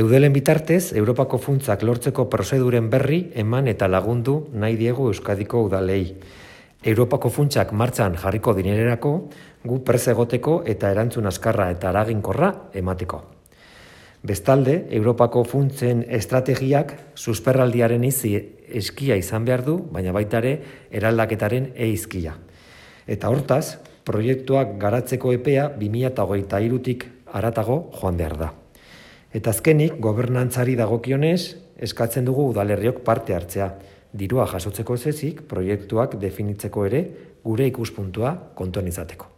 Eudelen bitartez, Europako funtsak lortzeko prozeduren berri eman eta lagundu nahi diegu Euskadiko udalei. Europako funtsak martxan jarriko dinererako, gu prest egoteko eta erantzun azkarra eta eraginkorra emateko. Bestalde, Europako funtsen estrategiak susperraldiaren izi eskia izan behar du, baina baita ere eraldaketaren eizkia. Eta hortaz, proiektuak garatzeko epea 2023tik haratago joan behar da. Eta azkenik, gobernantzari dagokionez, eskatzen dugu udalerriok parte hartzea. Dirua jasotzeko ez ezik, proiektuak definitzeko ere gure ikuspuntua kontuan izateko.